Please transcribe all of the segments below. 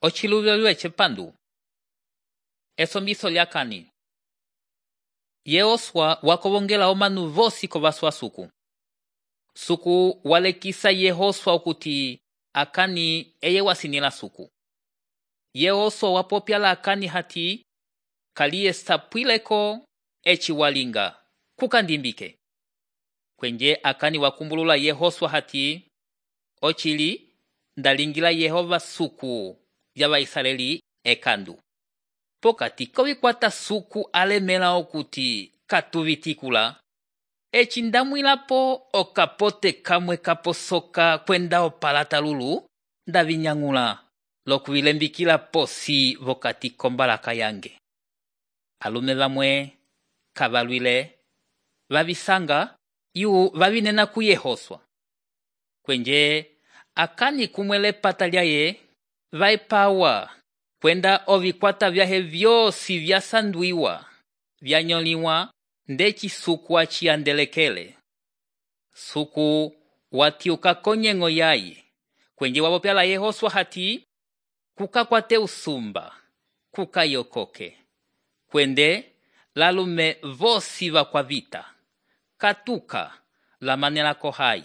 Ochiluvyo chepandu. Esombiso lya Akani. Yehoswa wakovongela omanu vosi kovaswa suku. Suku walekisa Yehoswa okuti Akani eye wasinila suku. Yehoswa wapopyala Akani hati kaliye sapwileko eci walinga kukandimbike. Kwenje Akani wakumbulula Yehoswa hati ochili ndalingila Yehova suku ya Waisraeli ekandu. Pokati kovikwata suku alemela okuti katuvitikula, eci ndamwilapo okapote kamwe kaposoka kwenda opalata lulu ndavinyang'ula lokuvilembikila posi vokati kombalaka yange. Alume vamwe kavalwile vavisanga yu vavinena ku Yehoswa. Kwenje Akani kumwele pata lyaye vaipawa kwenda ovikwata vyahe vyosi vyasandwiwa vyanyoliwa ndeci suku aciyandelekele. Suku watiuka konyeng'o yaye kwenje wapopyala Yehoswa hati kukakwate usumba kukayokoke kwende lalume vosi vakwavita katuka lamanelako hai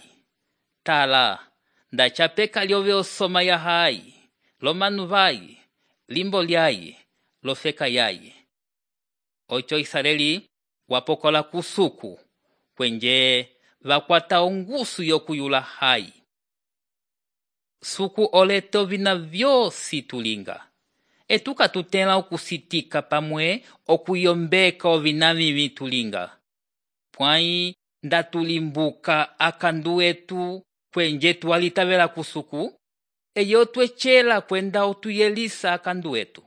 tala ndachapeka lyove osoma ya hai lomanu vai limbo lyaye lofeka yaye. Ocho Israeli wapokola kusuku kwenje vakwata ongusu yokuyula hai. Suku olete ovina vyosi tulinga. Etuka tutela okusitika pamwe okuyombeka ovina vivi tulinga. Pwai ndatulimbuka akandu etu kwenje tuwalitavela kusuku, eyo twechela kwenda otuyelisa akandu etu.